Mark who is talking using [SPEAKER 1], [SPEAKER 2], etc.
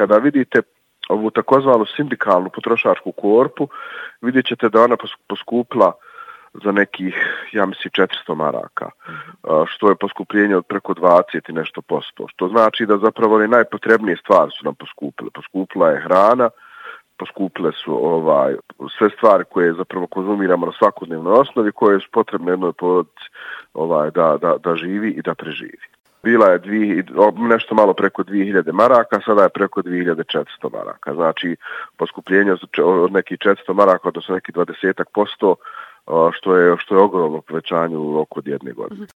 [SPEAKER 1] Kada vidite ovu takozvanu sindikalnu potrošačku korpu, vidjet ćete da ona poskupila za nekih, ja mislim, 400 maraka, što je poskupljenje od preko 20 i nešto posto, što znači da zapravo one najpotrebnije stvari su nam poskupile. Poskupila je hrana, poskupile su sve stvari koje zapravo konzumiramo na svakodnevnoj osnovi, koje su potrebne jednoj porodici da živi i da preživi. Bila je nešto malo preko 2000 maraka, sada je preko 2400 maraka. Znači, poskupljenje od nekih 400 maraka, odnosno nekih 20%, što je ogromno povećanje u roku od jedne godine.